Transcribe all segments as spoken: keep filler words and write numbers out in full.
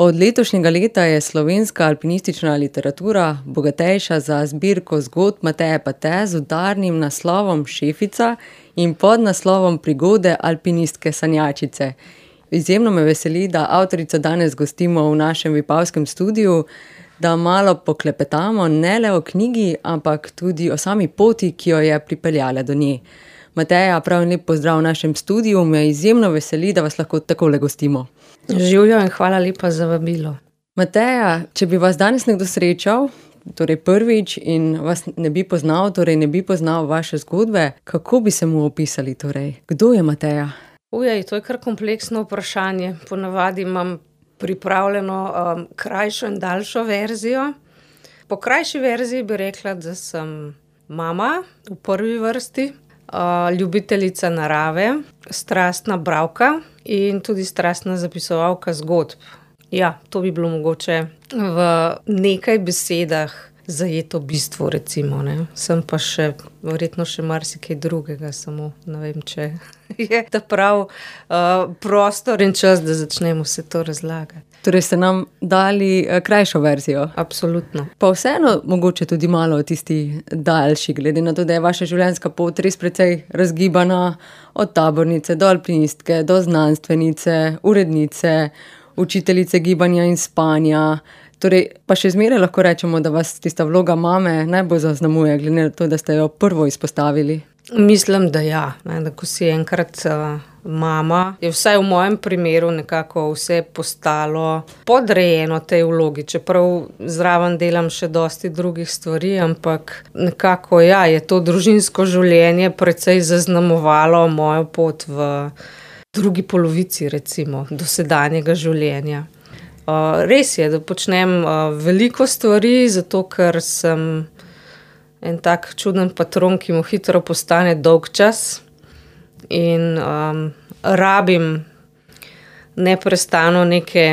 Od letošnjega leta je slovenska alpinistična literatura bogatejša za zbirko zgodb Mateje Pate z udarnim naslovom Šefica in pod naslovom Prigode alpinistke sanjačice. Izjemno me veseli, da avtorico danes gostimo v našem vipavskem studiu, da malo poklepetamo ne le o knjigi, ampak tudi o sami poti, ki jo je pripeljala do nje. Mateja, prav lep pozdrav v našem studiu, me izjemno veseli, da vas lahko takole gostimo. Živjo in hvala lepa za vabilo. Mateja, če bi vas danes nekdo srečal, torej prvič, in vas ne bi poznal, torej ne bi poznal vaše zgodbe, kako bi se mu opisali torej? Kdo je Mateja? Ujej, to je kar kompleksno vprašanje. Ponavadi imam pripravljeno um, krajšo in daljšo verzijo. Po krajši verziji bi rekla, da sem mama v prvi vrsti, uh, ljubiteljica narave, strastna bralka in tudi strastna zapisovalka zgodb. Ja, to bi bilo mogoče v nekaj besedah zajeto bistvo, recimo, ne. Sem pa še, verjetno še marsikaj drugega, samo ne vem, če je ta prav uh, prostor in čas, da začnemo vse to razlagati. Torej ste nam dali uh, krajšo verzijo. Absolutno. Pa vseeno mogoče tudi malo o tisti daljši, glede na to, da je vaša življenjska pot res precej razgibana od tabornice do alpinistke, do znanstvenice, urednice, učiteljice gibanja in spanja. Torej, pa še zmeraj lahko rečemo, da vas tista vloga mame najbolj zaznamuje, glede na to, da ste jo prvo izpostavili. Mislim, da ja. Ne, da ko si enkrat uh, mama, je vsaj v mojem primeru nekako vse postalo podrejeno tej vlogi, čeprav zraven delam še dosti drugih stvari, ampak nekako ja, je to družinsko življenje precej zaznamovalo mojo pot v drugi polovici, recimo, dosedanjega življenja. Uh, res je, da počnem uh, veliko stvari, zato ker sem en tak čuden patron, ki mu hitro postane dolgčas in um, rabim neprestano neke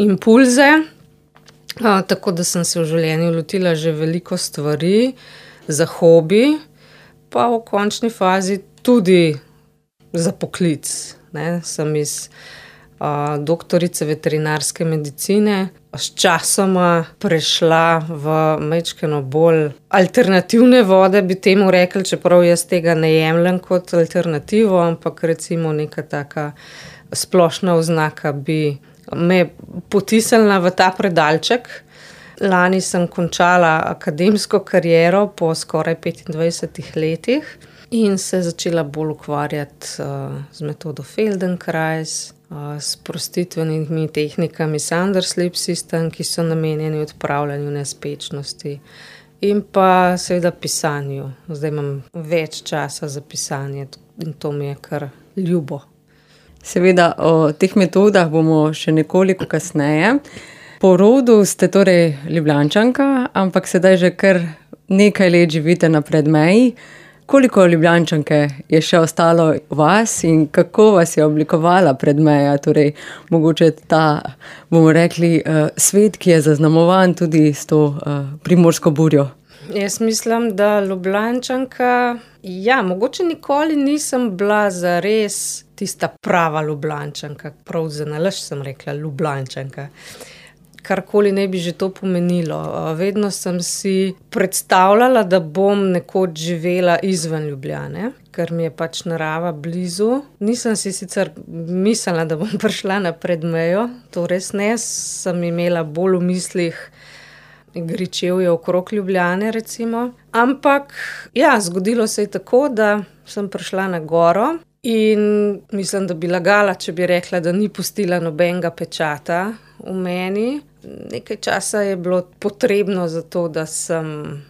impulze, uh, tako da sem se v življenju lotila že veliko stvari za hobi, pa v končni fazi tudi za poklic. Ne? Sem iz Uh, doktorice veterinarske medicine, s časoma prešla v majčkeno bolj alternativne vode, bi temu rekli, čeprav jaz tega ne jemljem kot alternativo, ampak recimo neka taka splošna oznaka bi me potisnila v ta predalček. Lani sem končala akademsko kariero po skoraj petindvajsetih letih in se začela bolj ukvarjati uh, z metodo Feldenkrais, s prostitvenimi tehnikami Sanders Sleep System, ki so namenjeni odpravljanju nespečnosti in pa seveda pisanju. Zdaj imam več časa za pisanje in to mi je kar ljubo. Seveda o teh metodah bomo še nekoliko kasneje. Po rodu ste torej Ljubljančanka, ampak sedaj že kar nekaj let živite na Predmeji. Koliko Ljubljančanke je še ostalo v vas in kako vas je oblikovala Predmeja, torej mogoče ta, bomo rekli, uh, svet, ki je zaznamovan tudi s to uh, primorsko burjo? Jaz mislim, da Ljubljančanka, ja, mogoče nikoli nisem bila zares tista prava Ljubljančanka, prav za nalašč sem rekla Ljubljančanka. Karkoli ne bi že to pomenilo. Vedno sem si predstavljala, da bom nekoč živela izven Ljubljane, ker mi je pač narava blizu. Nisem si sicer mislila, da bom prišla na Predmejo, to res ne, sem imela bolj v mislih Gričevje okrog Ljubljane, recimo. Ampak, ja, zgodilo se je tako, da sem prišla na goro in mislim, da bi lagala, če bi rekla, da ni pustila nobenega pečata v meni. Nekaj časa je bilo potrebno za to, da sem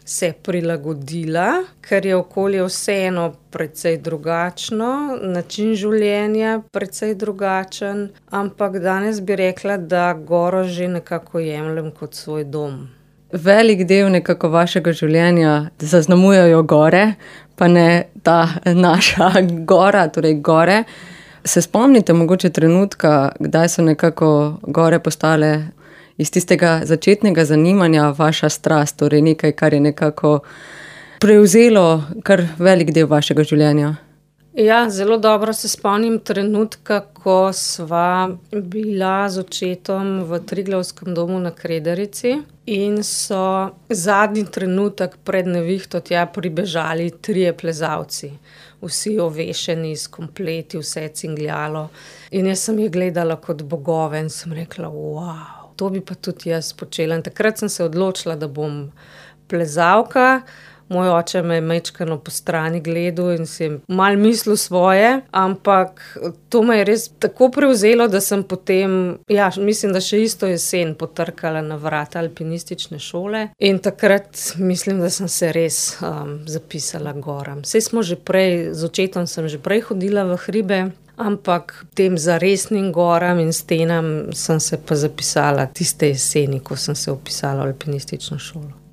se prilagodila, ker je okolje vseeno precej drugačno, način življenja precej drugačen, ampak danes bi rekla, da goro že nekako jemljem kot svoj dom. Velik del nekako vašega življenja zaznamujejo gore, pa ne ta naša gora, torej gore. Se spomnite mogoče trenutka, kdaj so nekako gore postale iz tistega začetnega zanimanja vaša strast, torej nekaj, kar je nekako prevzelo kar velik del vašega življenja? Ja, zelo dobro se spomnim trenutka, ko sva bila z očetom v Triglavskem domu na Kredarici in so zadnji trenutek pred nevihto tja pribežali trije plezalci. Vsi ovešeni s kompleti, vse cingljalo. In jaz sem jih gledala kot bogove in sem rekla, wow, to bi pa tudi jaz počela. In takrat sem se odločila, da bom plezalka. Moj oče me je majčkeno po strani gledal in si je malo mislil svoje, ampak to me je res tako prevzelo, da sem potem, ja, mislim, da še isto jesen potrkala na vrata alpinistične šole in takrat mislim, da sem se res um, zapisala goram. Saj smo že prej, z očetom sem že prej hodila v hribe, ampak tem zaresnim goram in stenam sem se pa zapisala tiste jeseni, ko sem se vpisala v alpinistično šolo.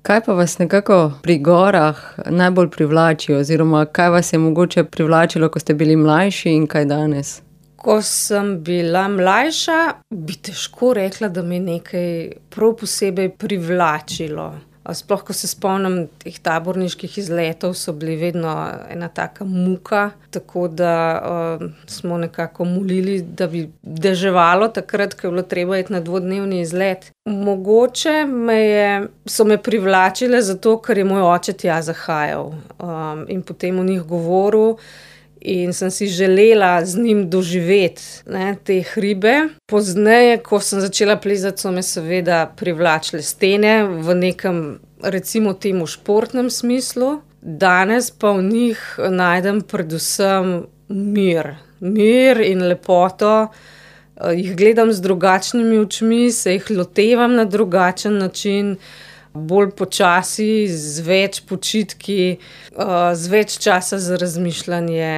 Kaj pa vas nekako pri gorah najbolj privlači oziroma kaj vas je mogoče privlačilo, ko ste bili mlajši in kaj danes? Ko sem bila mlajša, bi težko rekla, da me nekaj prav posebej privlačilo. Sploh, ko se spomnim teh taborniških izletov, so bili vedno ena taka muka, tako da uh, smo nekako molili, da bi deževalo takrat, ko je bilo treba iti na dvodnevni izlet. Mogoče me je, so me privlačile zato, ker je moj oče tja zahajal um, in potem o njih govoril. In sem si želela z njim doživeti, ne, te hribe. Pozneje, ko sem začela plezati, so me seveda privlačile stene v nekem, recimo temu, športnem smislu. Danes pa v njih najdem predvsem mir. Mir in lepoto. Jih gledam z drugačnimi očmi, se jih lotevam na drugačen način. Bolj počasi, z več počitki, z več časa za razmišljanje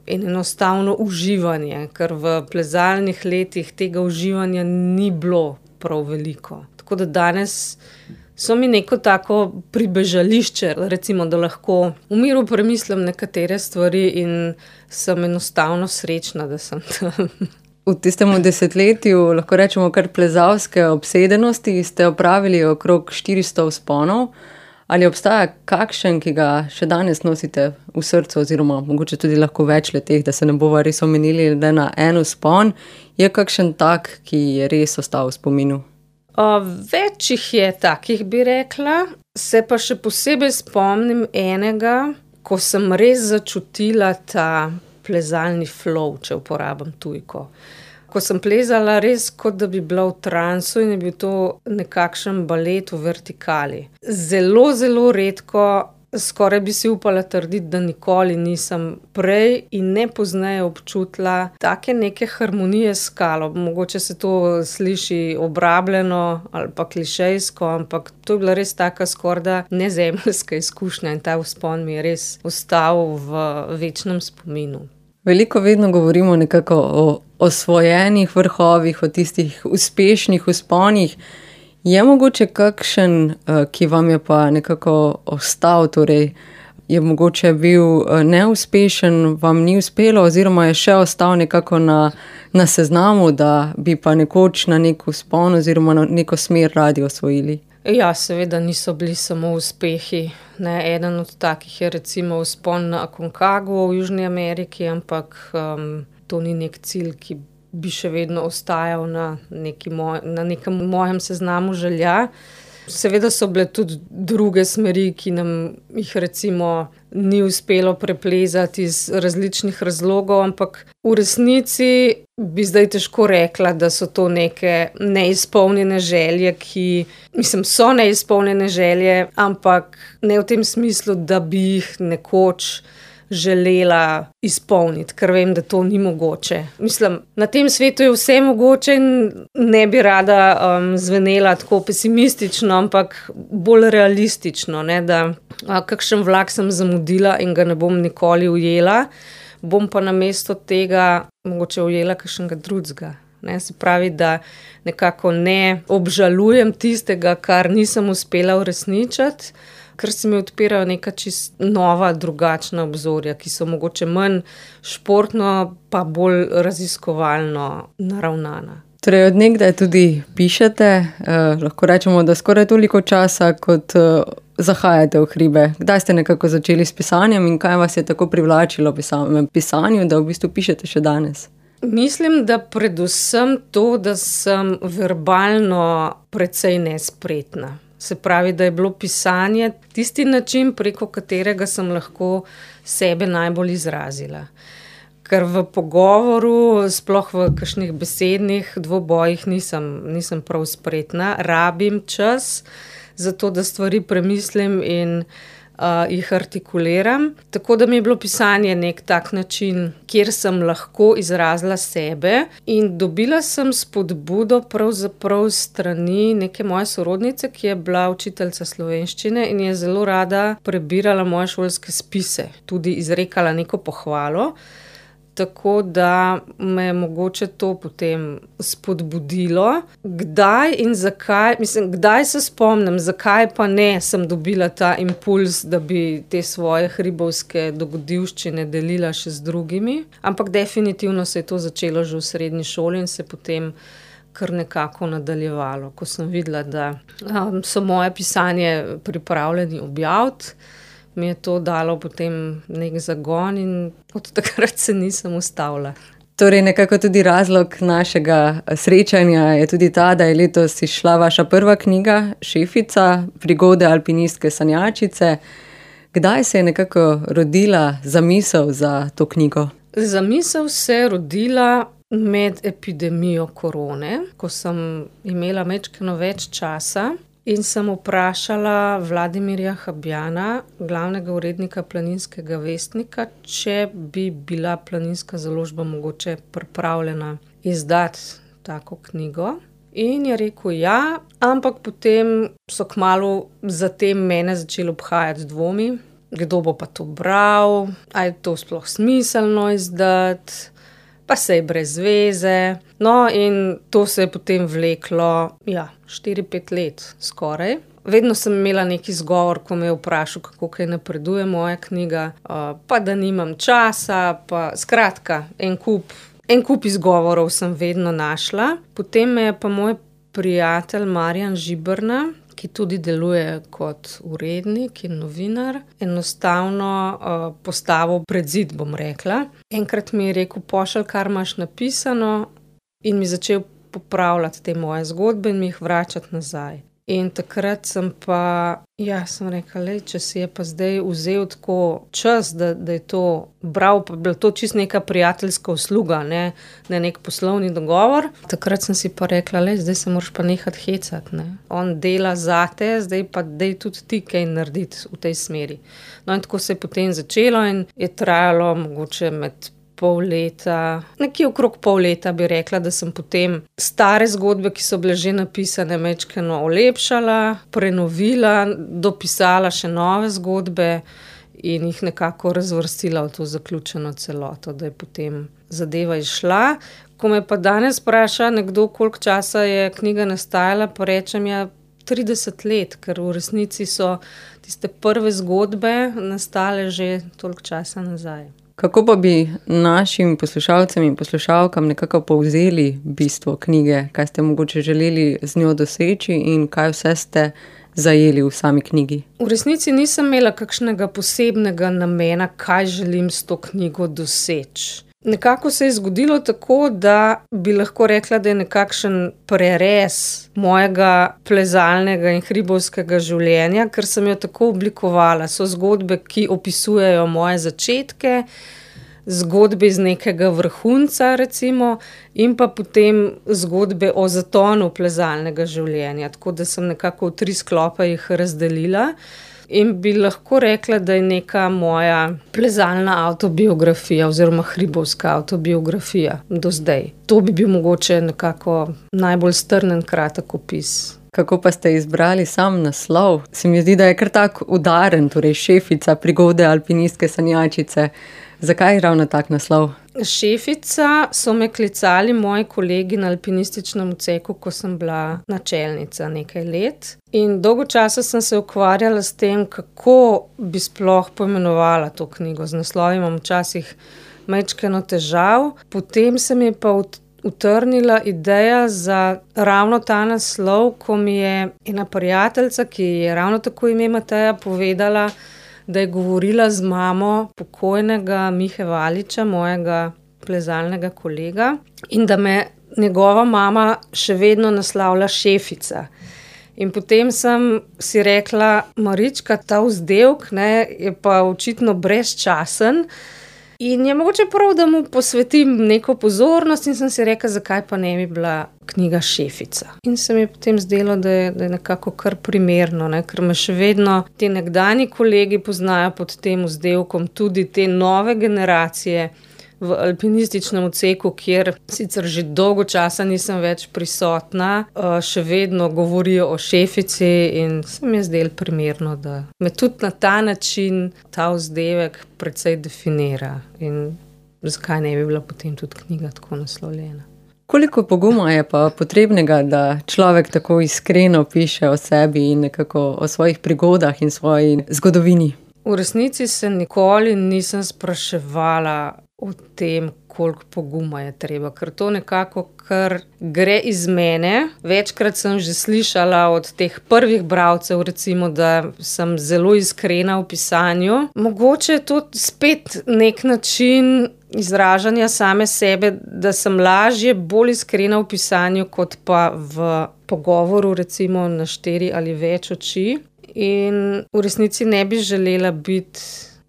in enostavno uživanje, ker v plezalnih letih tega uživanja ni bilo prav veliko. Tako da danes so mi neko tako pribežališče, recimo, da lahko v miru premislim nekatere stvari in sem enostavno srečna, da sem tam. V tistem desetletju, lahko rečemo kar plezalske obsedenosti, ste opravili okrog štiristo vzponov. Ali obstaja kakšen, ki ga še danes nosite v srcu, oziroma mogoče tudi lahko več leteh, da se ne bova res omenili, da na en vzpon je kakšen tak, ki je res ostal v spominu? Uh, več jih je takih, bi rekla. Se pa še posebej spomnim enega, ko sem res začutila ta plezalni flow, če uporabim tujko. Ko sem plezala res, kot da bi bila v transu in je bil to nekakšen balet v vertikali. Zelo, zelo redko, skoraj bi si upala trditi, da nikoli nisem prej in ne pozneje občutila take neke harmonije s skalo. Mogoče se to sliši obrabljeno ali pa klišejsko, ampak to je bila res taka skorda nezemeljska izkušnja in ta vzpon mi je res ostal v večnem spominu. Veliko vedno govorimo nekako o osvojenih vrhovih, o tistih uspešnih vzponih. Je mogoče kakšen, ki vam je pa nekako ostal, torej je mogoče bil neuspešen, vam ni uspelo oziroma je še ostal nekako na, na seznamu, da bi pa nekoč na nek vzpon oziroma na neko smer radi osvojili? Ja, seveda niso bili samo uspehi. Ne, eden od takih je recimo vzpon na Aconcagu v Južni Ameriki, ampak um, to ni nek cilj, ki bi še vedno ostajal na, neki moj, na nekem mojem seznamu želja. Seveda so bile tudi druge smeri, ki nam jih recimo ni uspelo preplezati iz različnih razlogov, ampak v resnici bi zdaj težko rekla, da so to neke neizpolnjene želje, ki, mislim, so neizpolnjene želje, ampak ne v tem smislu, da bi jih nekoč želela izpolniti, ker vem, da to ni mogoče. Mislim, na tem svetu je vse mogoče in ne bi rada um, zvenela tako pesimistično, ampak bolj realistično, ne, da a, kakšen vlak sem zamudila in ga ne bom nikoli ujela, bom pa namesto tega mogoče ujela kakšnega drugega. Ne, se pravi, da nekako ne obžalujem tistega, kar nisem uspela uresničiti, ker se mi odpirajo neka čist nova, drugačna obzorja, ki so mogoče manj športno, pa bolj raziskovalno naravnana. Torej, od nekdaj tudi pišete, eh, lahko rečemo, da skoraj toliko časa, kot eh, zahajate v hribe. Kdaj ste nekako začeli s pisanjem in kaj vas je tako privlačilo v samem pisanju, da v bistvu pišete še danes? Mislim, da predvsem to, da sem verbalno precej nespretna. Se pravi, da je bilo pisanje tisti način, preko katerega sem lahko sebe najbolj izrazila. Ker v pogovoru, sploh v kakšnih besednih dvobojih nisem, nisem prav spretna. Rabim čas za to, da stvari premislim in uh, jih artikuliram. Tako da mi je bilo pisanje nek tak način, kjer sem lahko izrazila sebe in dobila sem spodbudo pravzaprav strani neke moje sorodnice, ki je bila učiteljica slovenščine in je zelo rada prebirala moje šolske spise, tudi izrekala neko pohvalo. Tako da me je mogoče to potem spodbudilo. Kdaj in zakaj, mislim, kdaj se spomnim, zakaj pa ne sem dobila ta impuls, da bi te svoje hribovske dogodivščine delila še z drugimi. Ampak definitivno se je to začelo že v srednji šoli in se potem kar nekako nadaljevalo. Ko sem videla, da um, so moje pisanje pripravljeni objaviti, mi je to dalo potem nek zagon in od takrat se nisem ustavila. Torej, nekako tudi razlog našega srečanja je tudi ta, da je letos izšla vaša prva knjiga, Šefica, prigode alpinistke sanjačice. Kdaj se je nekako rodila zamisel za to knjigo? Zamisel se je rodila med epidemijo korone, ko sem imela majčkeno več časa. In sem vprašala Vladimirja Habjana, glavnega urednika Planinskega vestnika, če bi bila Planinska založba mogoče pripravljena izdati tako knjigo. In je rekel ja, ampak potem so kmalu zatem mene začeli obhajati dvomi, kdo bo pa to bral, a je to sploh smiselno izdati, pa se je brez veze. No, in to se je potem vleklo, ja, štiri pet let skoraj. Vedno sem imela neki izgovor, ko me je vprašal, kako kaj napreduje moja knjiga, pa da nimam časa, pa skratka, en kup, en kup izgovorov sem vedno našla. Potem me je pa moj prijatelj Marjan Žiberna, ki tudi deluje kot urednik in novinar, enostavno uh, postavil pred zid, bom rekla. Enkrat mi je rekel, pošelj, kar imaš napisano, in mi začel popravljati te moje zgodbe in mi jih vračati nazaj. In takrat sem pa, ja, sem rekla, lej, če si je pa zdaj vzel tako čas, da, da je to bral, pa bila to čisto neka prijateljska usluga, ne, ne nek poslovni dogovor. Takrat sem si pa rekla, lej, zdaj se moraš pa nehati hecati, ne. On dela zate, zdaj pa dej tudi ti kaj narediti v tej smeri. No in tako se je potem začelo in je trajalo mogoče med pol leta, nekje okrog pol leta bi rekla, da sem potem stare zgodbe, ki so bile že napisane, majčkeno olepšala, prenovila, dopisala še nove zgodbe in jih nekako razvrstila v to zaključeno celoto, da je potem zadeva izšla. Ko me pa danes vpraša nekdo, koliko časa je knjiga nastajala, pa rečem, ja, trideset let, ker v resnici so tiste prve zgodbe nastale že toliko časa nazaj. Kako pa bi našim poslušalcem in poslušalkam nekako povzeli bistvo knjige, kaj ste mogoče želeli z njo doseči in kaj vse ste zajeli v sami knjigi? V resnici nisem imela kakšnega posebnega namena, kaj želim s to knjigo doseči. Nekako se je zgodilo tako, da bi lahko rekla, da je nekakšen prerez mojega plezalnega in hribovskega življenja, ker sem jo tako oblikovala. So zgodbe, ki opisujejo moje začetke, zgodbe iz nekega vrhunca recimo in pa potem zgodbe o zatonu plezalnega življenja. Tako da sem nekako v tri sklope jih razdelila. In bi lahko rekla, da je neka moja plezalna avtobiografija oziroma hribovska avtobiografija do zdaj. To bi bil mogoče nekako najbolj strnen kratek opis. Kako pa ste izbrali sam naslov? Se mi zdi, da je kar tak udaren, torej Šefica, prigode alpinistke sanjačice. Zakaj ravno tak naslov? Šefica so me klicali moji kolegi na alpinističnem odseku, ko sem bila načelnica nekaj let. In dolgo časa sem se ukvarjala s tem, kako bi sploh poimenovala to knjigo. Z naslovom imam včasih majčkeno težav. Potem se mi je pa v utrnila ideja za ravno ta naslov, ko mi je ena prijateljica, ki je ravno tako ime Mateja, povedala, da je govorila z mamo pokojnega Mihe Valiča, mojega plezalnega kolega, in da me njegova mama še vedno naslavlja šefica. In potem sem si rekla, Marička, ta vzdevek, ne, je pa očitno brezčasen in je mogoče prav, da mu posvetim neko pozornost, in sem si rekla, zakaj pa ne bi bila knjiga Šefica. In se mi je potem zdelo, da je, da je nekako kar primerno, ne, ker me še vedno ti nekdanji kolegi poznajo pod tem vzdevkom, tudi te nove generacije v alpinističnem odseku, kjer sicer že dolgo časa nisem več prisotna, še vedno govorijo o Šefici, in se mi je zdelo primerno, da me tudi na ta način ta vzdevek precej definira, in zakaj ne bi bila potem tudi knjiga tako naslovljena. Koliko poguma je pa potrebnega, da človek tako iskreno piše o sebi in nekako o svojih prigodah in svoji zgodovini? V resnici se nikoli nisem spraševala o tem, koliko poguma je treba, ker to nekako kar gre iz mene. Večkrat sem že slišala od teh prvih bralcev, recimo, da sem zelo iskrena v pisanju. Mogoče je to spet nek način izražanja same sebe, da sem lažje, bolj iskrena v pisanju, kot pa v pogovoru, recimo na štiri ali več oči. In v resnici ne bi želela biti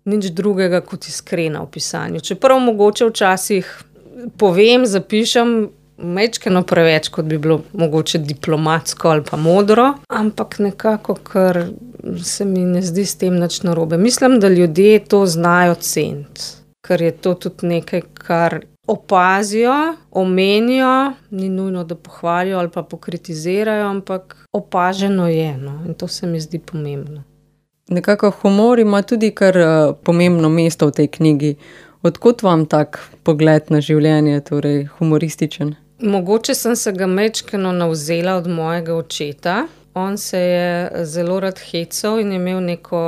nič drugega kot iskrena v pisanju. Čeprav mogoče včasih povem, zapišem majčkeno preveč, kot bi bilo mogoče diplomatsko ali pa modro, ampak nekako, ker se mi ne zdi s tem nič narobe. Mislim, da ljudje to znajo ceniti, ker je to tudi nekaj, kar opazijo, omenijo, ni nujno, da pohvalijo ali pa pokritizirajo, ampak opaženo je, no, in to se mi zdi pomembno. Nekako humor ima tudi kar uh, pomembno mesto v tej knjigi. Odkot vam tak pogled na življenje, torej humorističen? Mogoče sem se ga majčkeno navzela od mojega očeta. On se je zelo rad hecal in je imel neko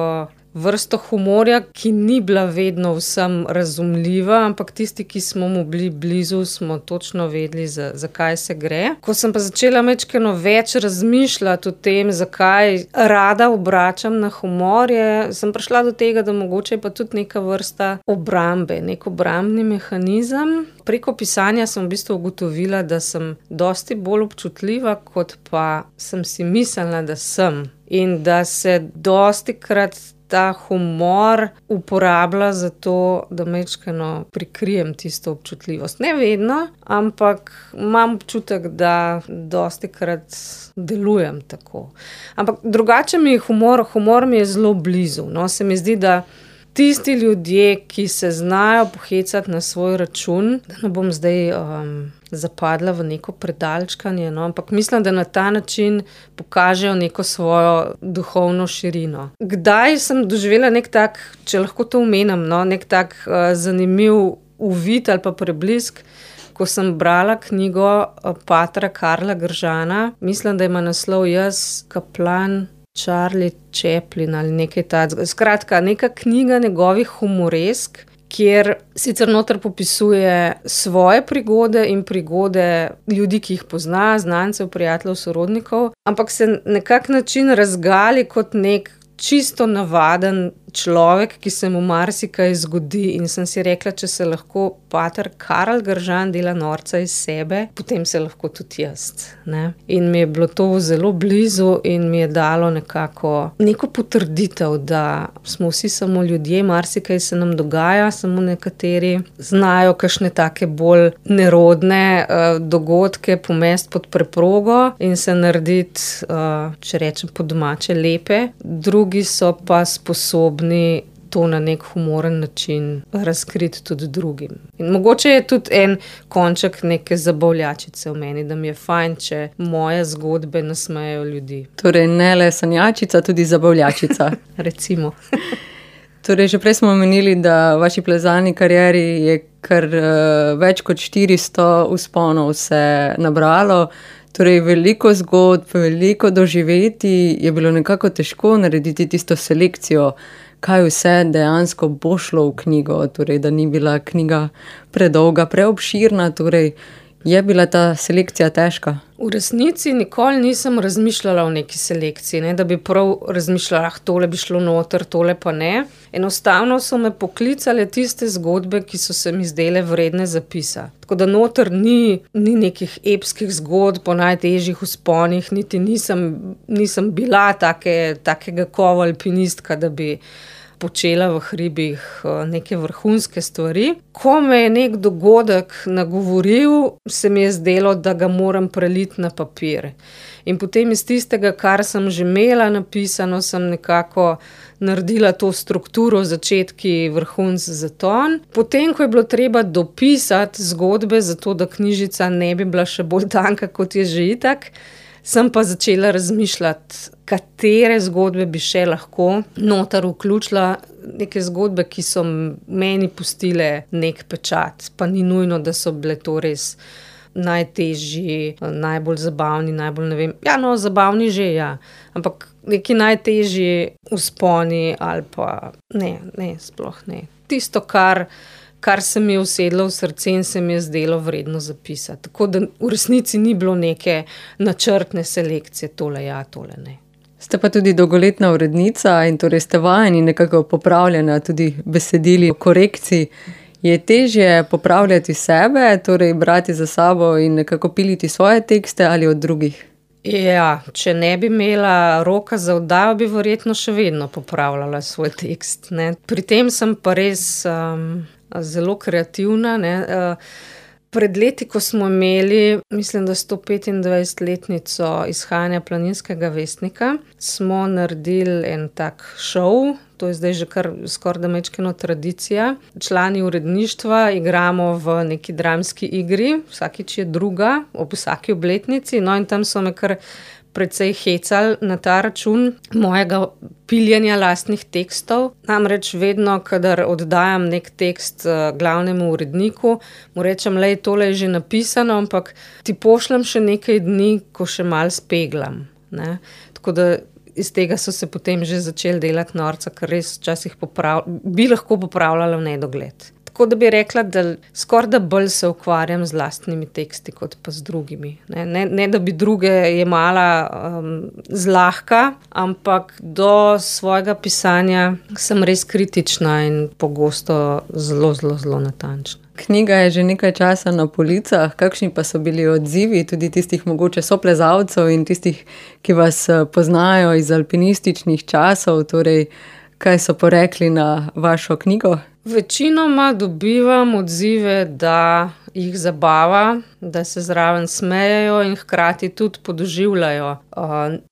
vrsto humorja, ki ni bila vedno vsem razumljiva, ampak tisti, ki smo mu bili blizu, smo točno vedeli, za, za kaj se gre. Ko sem pa začela majčkeno več razmišljati o tem, zakaj rada obračam na humor, je, sem prišla do tega, da mogoče je pa tudi neka vrsta obrambe, nek obrambni mehanizem. Preko pisanja sem v bistvu ugotovila, da sem dosti bolj občutljiva, kot pa sem si mislila, da sem. In da se dostikrat ta humor uporablja za to, da majčkeno prikrijem tisto občutljivost. Ne vedno, ampak imam občutek, da dostikrat delujem tako. Ampak drugače mi je humor, humor mi je zelo blizu. No, se mi zdi, da tisti ljudje, ki se znajo pohecati na svoj račun, da ne bom zdaj um, zapadla v neko predalčkanje, no, ampak mislim, da na ta način pokažejo neko svojo duhovno širino. Kdaj sem doživela nek tak, če lahko to omenim, no, nek tak uh, zanimiv uvid ali pa preblisk, ko sem brala knjigo uh, patra Karla Gržana, mislim, da ima naslov Jaz, kaplan Charlie Chaplin ali nekaj takega. Skratka, neka knjiga njegovih humoresk, kjer sicer noter popisuje svoje prigode in prigode ljudi, ki jih pozna, znancev, prijateljev, sorodnikov, ampak se nekak način razgali kot nek čisto navaden človek, ki se mu marsikaj zgodi, in sem si rekla, če se lahko pater Karl Gržan dela norca iz sebe, potem se lahko tudi jaz, ne. In mi je bilo to zelo blizu in mi je dalo nekako neko potrditev, da smo vsi samo ljudje, marsikaj se nam dogaja, samo nekateri znajo kakšne take bolj nerodne uh, dogodke pomesti pod preprogo in se narediti, uh, če rečem po domače, lepe. Drugi so pa sposobni to na nek humoren način razkriti tudi drugim. In mogoče je tudi en konček neke zabavljačice v meni, da mi je fajn, če moje zgodbe nasmejejo ljudi. Torej ne le sanjačica, tudi zabavljačica. Recimo. Torej, že prej smo omenili, da v vaši plezalni karieri je kar uh, več kot štiristo vzponov se nabralo. Torej, veliko zgodb, veliko doživeti, je bilo nekako težko narediti tisto selekcijo, kaj vse dejansko bo šlo v knjigo, torej, da ni bila knjiga predolga, preobširna, torej, Je bila ta selekcija težka? V resnici nikoli nisem razmišljala o neki selekciji, ne, da bi prav razmišljala, ah, tole bi šlo noter, tole pa ne. Enostavno so me poklicale tiste zgodbe, ki so se mi zdele vredne zapisa. Tako da noter ni, ni nekih epskih zgodb po najtežjih vzponih, niti nisem, nisem bila take, takega kova alpinistka, da bi počela v hribih neke vrhunske stvari. Ko me je nek dogodek nagovoril, se mi je zdelo, da ga moram preliti na papir. In potem iz tistega, kar sem že imela napisano, sem nekako naredila to strukturo, začetki, vrhunc, zaton. Potem, ko je bilo treba dopisati zgodbe, zato da knjižica ne bi bila še bolj tanka, kot je že itak, sem pa začela razmišljati, katere zgodbe bi še lahko noter vključila, neke zgodbe, ki so meni pustile nek pečat. Pa ni nujno, da so bile to res najtežji, najbolj zabavni, najbolj ne vem. Ja, no, zabavni že, ja. Ampak neki najtežji vzponi ali pa ne, ne, sploh ne. Tisto, kar kar se mi je usedlo v srce in se mi je zdelo vredno zapisati. Tako da v resnici ni bilo neke načrtne selekcije, tole ja, tole ne. Ste pa tudi dolgoletna urednica in torej ste vajeni nekako popravljena tudi besedili o korekciji. Je težje popravljati sebe, torej brati za sabo in nekako piliti svoje tekste ali od drugih? Ja, če ne bi imela roka za oddajo, bi verjetno še vedno popravljala svoj tekst, ne. Pri tem sem pa res um, zelo kreativna, ne. Pred leti, ko smo imeli, mislim, da sto petindvajsetletnico izhajanja Planinskega vestnika, smo naredili en tak šov, to je zdaj že kar skoraj da majčkeno tradicija. Člani uredništva igramo v neki dramski igri, vsakič je druga, ob vsaki obletnici, no in tam so me kar precej hecali na ta račun mojega piljenja lastnih tekstov. Namreč vedno, kadar oddajam nek tekst glavnemu uredniku, mu rečem, lej, tole je že napisano, ampak ti pošljem še nekaj dni, ko še malo speglam, ne. Tako da iz tega so se potem že začeli delati norca, ker res včasih poprav, bi lahko popravljala v nedogled. Tako da bi rekla, da skoraj da bolj se ukvarjam z lastnimi teksti, kot pa z drugimi. Ne, ne, ne da bi druge jemala um, zlahka, ampak do svojega pisanja sem res kritična in pogosto zelo, zelo, zelo natančna. Knjiga je že nekaj časa na policah. Kakšni pa so bili odzivi tudi tistih mogoče soplezalcev in tistih, ki vas poznajo iz alpinističnih časov? Torej, kaj so porekli na vašo knjigo? Večinoma dobivam odzive, da jih zabava, da se zraven smejejo in hkrati tudi podoživljajo uh,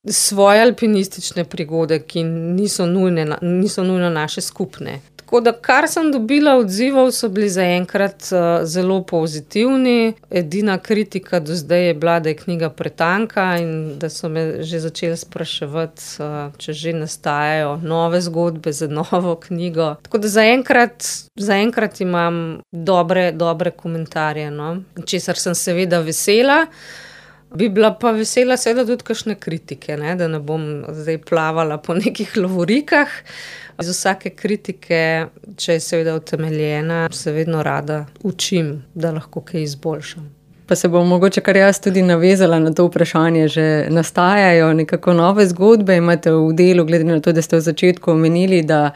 svoje alpinistične prigode, ki niso nujne, niso nujno naše skupne. Tako da, kar sem dobila odzivov, so bili zaenkrat uh, zelo pozitivni. Edina kritika do zdaj je bila, da je knjiga pretanka in da so me že začeli spraševati, uh, če že nastajajo nove zgodbe za novo knjigo. Tako da zaenkrat, zaenkrat imam dobre, dobre komentarje, no. Česar sem seveda vesela. Bi bila pa vesela seveda tudi kakšne kritike, ne, da ne bom zdaj plavala po nekih lovorikah. Iz vsake kritike, če je seveda utemeljena, se vedno rada učim, da lahko kaj izboljšam. Pa se bom mogoče kar jaz tudi navezala na to vprašanje, že nastajajo nekako nove zgodbe, imate v delu, glede na to, da ste v začetku omenili, da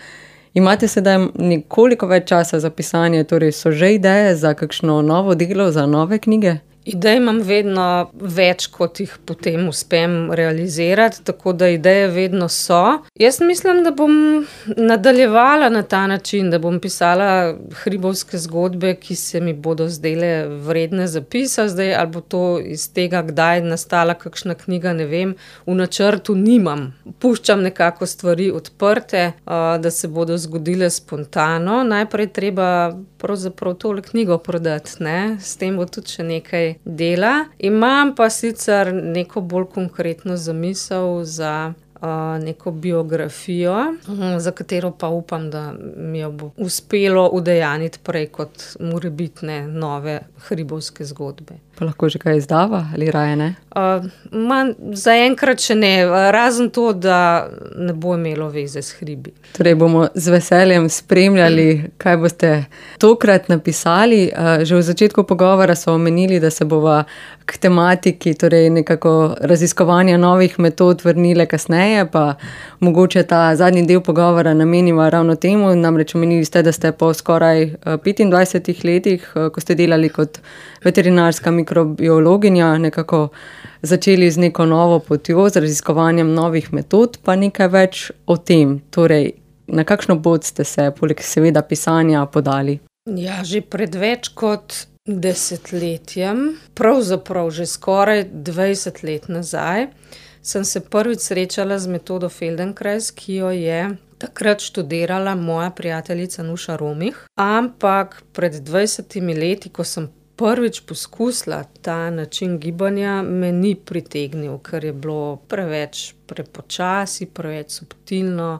imate sedaj nekoliko več časa za pisanje, torej so že ideje za kakšno novo delo, za nove knjige? Idej imam vedno več, kot jih potem uspem realizirati, tako da ideje vedno so. Jaz mislim, da bom nadaljevala na ta način, da bom pisala hribovske zgodbe, ki se mi bodo zdele vredne zapisa. Zdaj, ali bo to iz tega, kdaj nastala kakšna knjiga, ne vem, v načrtu nimam. Puščam nekako stvari odprte, da se bodo zgodile spontano. Najprej treba pravzaprav tole knjigo prodati, ne? S tem bo tudi še nekaj dela. Imam pa sicer neko bolj konkretno zamisel za uh, neko biografijo, uh, za katero pa upam, da mi jo bo uspelo udejaniti prej kot morebitne nove hribovske zgodbe. Pa lahko že kaj izdava ali raje ne? Uh, man, zaenkrat še ne, razen to, da ne bo imelo veze s hribi. Torej bomo z veseljem spremljali, kaj boste tokrat napisali. Uh, že v začetku pogovora so omenili, da se bova k tematiki, torej nekako raziskovanja novih metod vrnile kasneje, pa mogoče ta zadnji del pogovora nameniva ravno temu. Namreč omenili ste, da ste po skoraj petindvajsetih letih, ko ste delali kot veterinarska mikrobiologinja, nekako začeli z neko novo potjo, z raziskovanjem novih metod, pa nekaj več o tem. Torej, na kakšno pot ste se, poleg seveda pisanja, podali? Ja, že pred več kot desetletjem, pravzaprav že skoraj dvajset let nazaj, sem se prvič srečala z metodo Feldenkrais, ki jo je takrat študirala moja prijateljica Nuša Romih, ampak pred dvajsetimi leti, ko sem prvič poskusila ta način gibanja, me ni pritegnil, ker je bilo preveč prepočasi, preveč subtilno,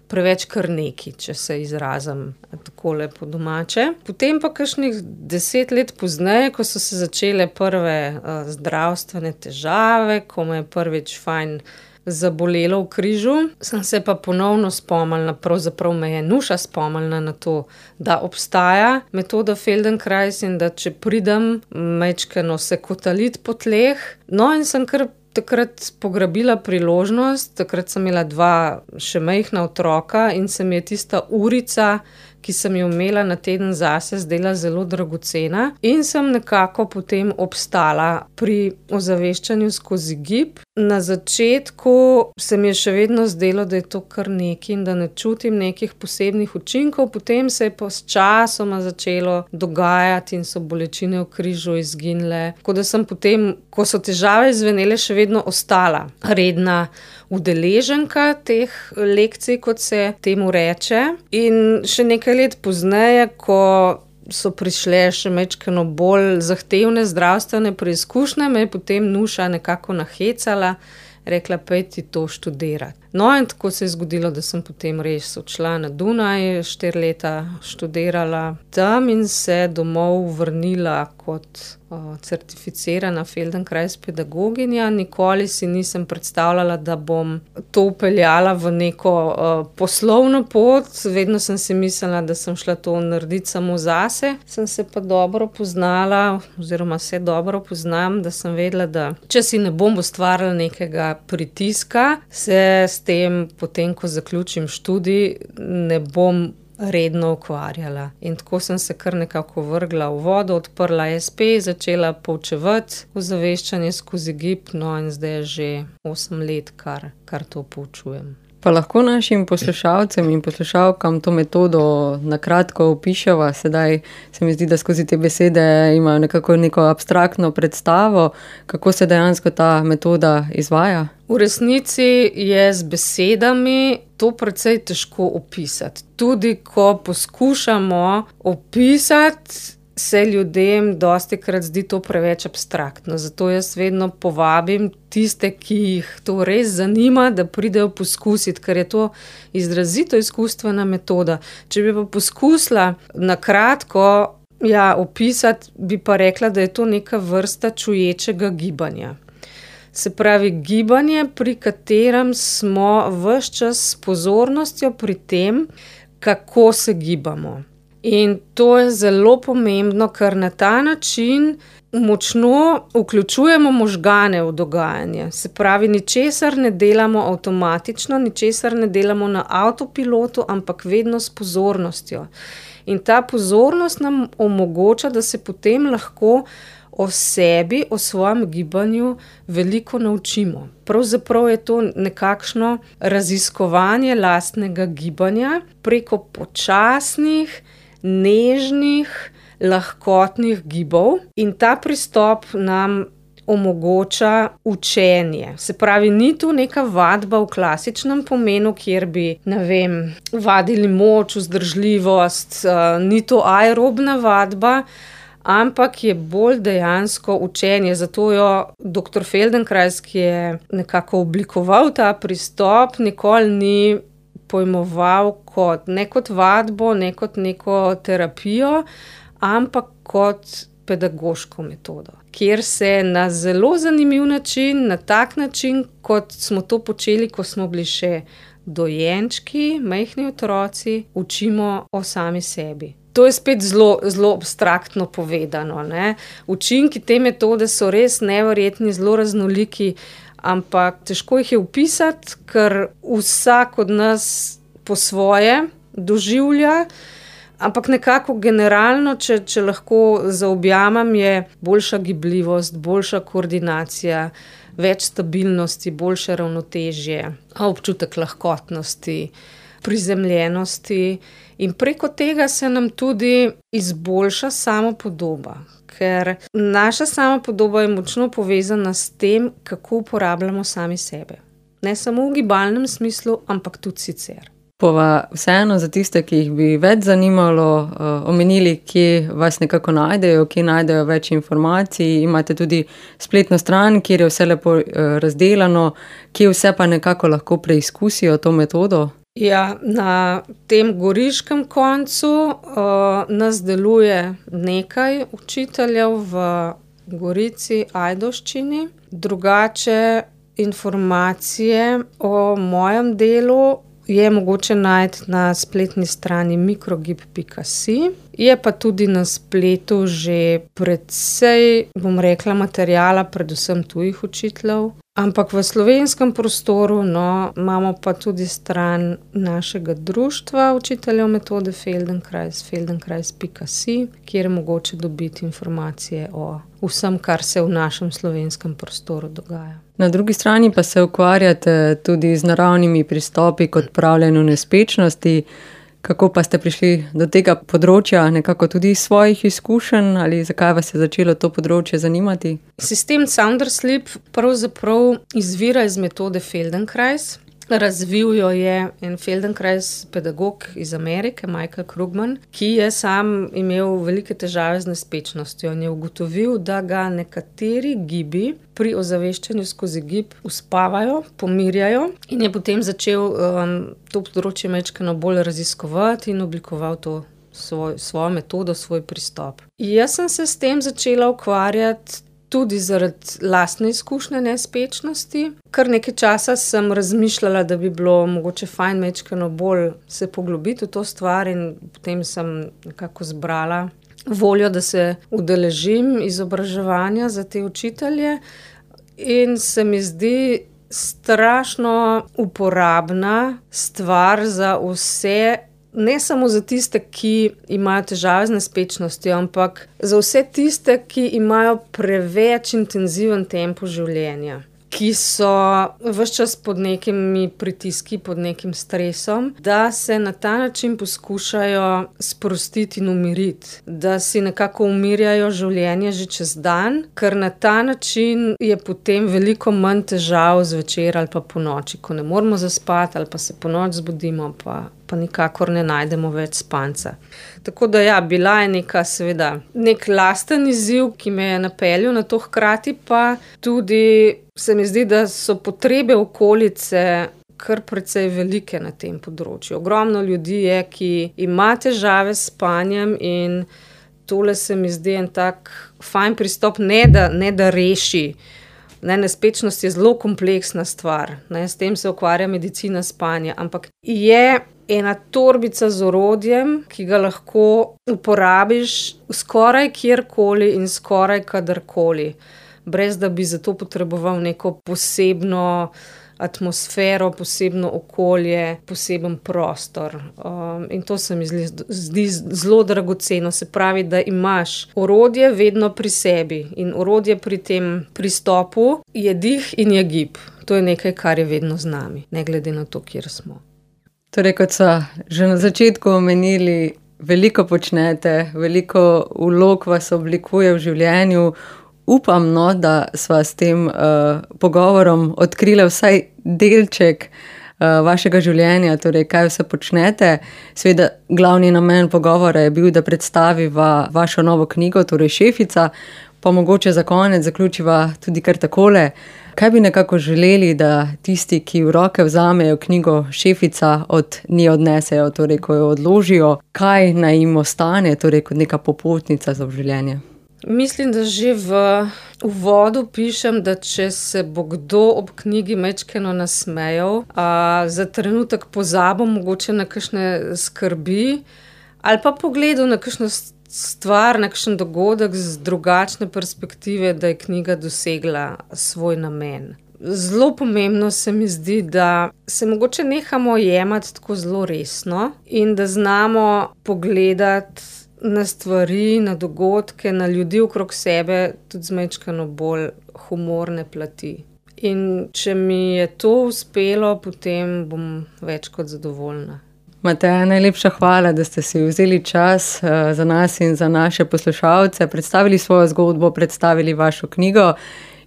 preveč kar neki, če se izrazim takole po domače. Potem pa kakšnih deset let pozneje, ko so se začele prve uh, zdravstvene težave, ko me je prvič fajn zabolelo v križu, sem se pa ponovno spomnila, pravzaprav me je Nuša spomnila na to, da obstaja metoda Feldenkrais in da če pridem majčkeno se kotaliti po tleh. No, in sem kar takrat pograbila priložnost, takrat sem imela dva še majhna otroka in se mi je tista urica, ki sem jo imela na teden zase, zdela zelo dragocena in sem nekako potem obstala pri ozaveščanju skozi gib. Na začetku se mi je še vedno zdelo, da je to kar nekaj in da ne čutim nekih posebnih učinkov, potem se je pa s časoma začelo dogajati in so bolečine v križu izginile. Tako da sem potem, ko so težave izvenele, še vedno ostala redna udeleženka teh lekcij, kot se temu reče. In še nekaj let pozneje, ko so prišle še majčkeno bolj zahtevne zdravstvene preizkušnje, me je potem Nuša nekako nahecala, rekla, pojdi to študirati. No, in tako se je zgodilo, da sem potem res odšla na Dunaj, štiri leta študirala tam in se domov vrnila kot uh, certificirana Feldenkrais pedagoginja. Nikoli si nisem predstavljala, da bom to vpeljala v neko uh, poslovno pot. Vedno sem si mislila, da sem šla to narediti samo zase. Sem se pa dobro poznala, oziroma se dobro poznam, da sem vedela, da če si ne bom ustvarila nekega pritiska, se s tem, potem, ko zaključim študij, ne bom redno ukvarjala. In tako sem se kar nekako vrgla v vodo, odprla es pe, začela poučevati ozaveščanje skozi gib, no in zdaj je že osem let, kar, kar to poučujem. Pa lahko našim poslušalcem in poslušalkam to metodo na kratko opiševa. Sedaj se mi zdi, da skozi te besede imajo nekako neko abstraktno predstavo, kako se dejansko ta metoda izvaja. V resnici je z besedami to precej težko opisati. Tudi ko poskušamo opisati, se ljudem dostikrat zdi to preveč abstraktno. Zato jaz vedno povabim tiste, ki jih to res zanima, da pridejo poskusiti, ker je to izrazito izkustvena metoda. Če bi pa poskusila na kratko ja, opisati, bi pa rekla, da je to neka vrsta čuječega gibanja. Se pravi, gibanje, pri katerem smo ves čas s pozornostjo pri tem, kako se gibamo. In to je zelo pomembno, ker na ta način močno vključujemo možgane v dogajanje. Se pravi, ničesar ne delamo avtomatično, ničesar ne delamo na avtopilotu, ampak vedno s pozornostjo. In ta pozornost nam omogoča, da se potem lahko o sebi, o svojem gibanju veliko naučimo. Pravzaprav je to nekakšno raziskovanje lastnega gibanja preko počasnih, nežnih, lahkotnih gibov in ta pristop nam omogoča učenje. Se pravi, ni tu neka vadba v klasičnem pomenu, kjer bi, ne vem, vadili moč, vzdržljivost, ni to aerobna vadba, ampak je bolj dejansko učenje. Zato jo doktor Feldenkrais, ki je nekako oblikoval ta pristop, nikoli ni pojmoval kot, ne kot vadbo, ne kot neko terapijo, ampak kot pedagoško metodo. kjer se na zelo zanimiv način, na tak način, kot smo to počeli, ko smo bili še dojenčki, majhni otroci, učimo o sami sebi. To je spet zelo, zelo abstraktno povedano, ne. Učinki te metode so res neverjetni, zelo raznoliki, ampak težko jih je opisati, ker vsak od nas po svoje doživlja, ampak nekako generalno, če, če lahko zaobjamem, je boljša gibljivost, boljša koordinacija, več stabilnosti, boljše ravnotežje, občutek lahkotnosti, prizemljenosti in preko tega se nam tudi izboljša samopodoba, ker naša samopodoba je močno povezana s tem, kako uporabljamo sami sebe. Ne samo v gibalnem smislu, ampak tudi sicer. Bova vseeno za tiste, ki jih bi več zanimalo, uh, omenili, kje vas nekako najdejo, kje najdejo več informacij. Imate tudi spletno stran, kjer je vse lepo uh, razdelano, kje vse pa nekako lahko preizkusijo to metodo. Ja, na tem goriškem koncu uh, nas deluje nekaj učiteljev v Gorici, Ajdovščini. Drugače informacije o mojem delu je mogoče najti na spletni strani mikrogib pika si. Je pa tudi na spletu že precej, bom rekla, materijala, predvsem tujih učiteljev. Ampak v slovenskem prostoru, no, imamo pa tudi stran našega društva učiteljev metode Feldenkrais, feldenkrais pika si, kjer je mogoče dobiti informacije o vsem, kar se v našem slovenskem prostoru dogaja. Na drugi strani pa se ukvarjate tudi z naravnimi pristopi k odpravljanju nespečnosti. Kako pa ste prišli do tega področja, nekako tudi iz svojih izkušenj, ali zakaj vas je začelo to področje zanimati? Sistem Sounder Sleep pravzaprav izvira iz metode Feldenkrais. Razvil jo je en Feldenkrais pedagog iz Amerike, Michael Krugman, ki je sam imel velike težave z nespečnostjo in je ugotovil, da ga nekateri gibi pri ozaveščanju skozi gib uspavajo, pomirjajo in je potem začel um, to področje majčkeno bolj raziskovati in oblikoval to svoj, svojo metodo, svoj pristop. Jaz sem se s tem začela ukvarjati tudi zaradi lastne izkušnje nespečnosti. Kar nekaj časa sem razmišljala, da bi bilo mogoče fajn majčkeno bolj se poglobiti v to stvar in potem sem nekako zbrala voljo, da se udeležim izobraževanja za te učitelje in se mi zdi strašno uporabna stvar za vse, ne samo za tiste, ki imajo težave z nespečnostjo, ampak za vse tiste, ki imajo preveč intenziven tempo življenja, ki so ves čas pod nekimi pritiski, pod nekim stresom, da se na ta način poskušajo sprostiti in umiriti, da si nekako umirjajo življenje že čez dan, ker na ta način je potem veliko manj težav zvečer ali pa po noči, ko ne moremo zaspati ali pa se po noč zbudimo, pa pa nikakor ne najdemo več spanca. Tako da ja, bila je neka seveda nek lasten izziv, ki me je napeljal na to, hkrati pa tudi se mi zdi, da so potrebe okolice kar precej velike na tem področju. Ogromno ljudi je, ki ima težave s spanjem in tole se mi zdi en tak fajn pristop, ne da, ne da reši. Ne, nespečnost je zelo kompleksna stvar, ne, s tem se ukvarja medicina spanja, ampak je ena torbica z orodjem, ki ga lahko uporabiš skoraj kjerkoli in skoraj kadarkoli, brez da bi za to potreboval neko posebno atmosfero, posebno okolje, poseben prostor. Um, in to se mi zdi, zdi zelo dragoceno. Se pravi, da imaš orodje vedno pri sebi in orodje pri tem pristopu je dih in je gib. To je nekaj, kar je vedno z nami, ne glede na to, kjer smo. Torej, kot so že na začetku omenili, veliko počnete, veliko vlog vas oblikuje v življenju. Upam, no, da sva s tem uh, pogovorom odkrila vsaj delček uh, vašega življenja, torej kaj vse počnete. Seveda, glavni namen pogovora je bil, da predstaviva vašo novo knjigo, torej Šefica, pa mogoče za konec zaključiva tudi kar takole. Kaj bi nekako želeli, da tisti, ki v roke vzamejo knjigo Šefica, od nje odnesejo, torej ko jo odložijo, kaj naj jim ostane, torej kot neka popotnica za življenje? Mislim, da že v uvodu pišem, da če se bo kdo ob knjigi majčkeno nasmejal, a, za trenutek pozabil mogoče na kakšne skrbi ali pa pogledal na kakšno stvar, na kakšen dogodek z drugačne perspektive, da je knjiga dosegla svoj namen. Zelo pomembno se mi zdi, da se mogoče nehamo jemati tako zelo resno in da znamo pogledati na stvari, na dogodke, na ljudi okrog sebe tudi z majčkeno bolj humorne plati. In če mi je to uspelo, potem bom več kot zadovoljna. Mateja, najlepša hvala, da ste si vzeli čas uh, za nas in za naše poslušalce, predstavili svojo zgodbo, predstavili vašo knjigo.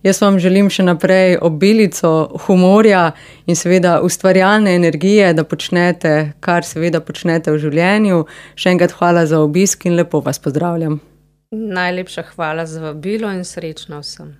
Jaz vam želim še naprej obilico humorja in seveda ustvarjalne energije, da počnete, kar seveda počnete v življenju. Še enkrat hvala za obisk in lepo vas pozdravljam. Najlepša hvala za vabilo in srečno vsem.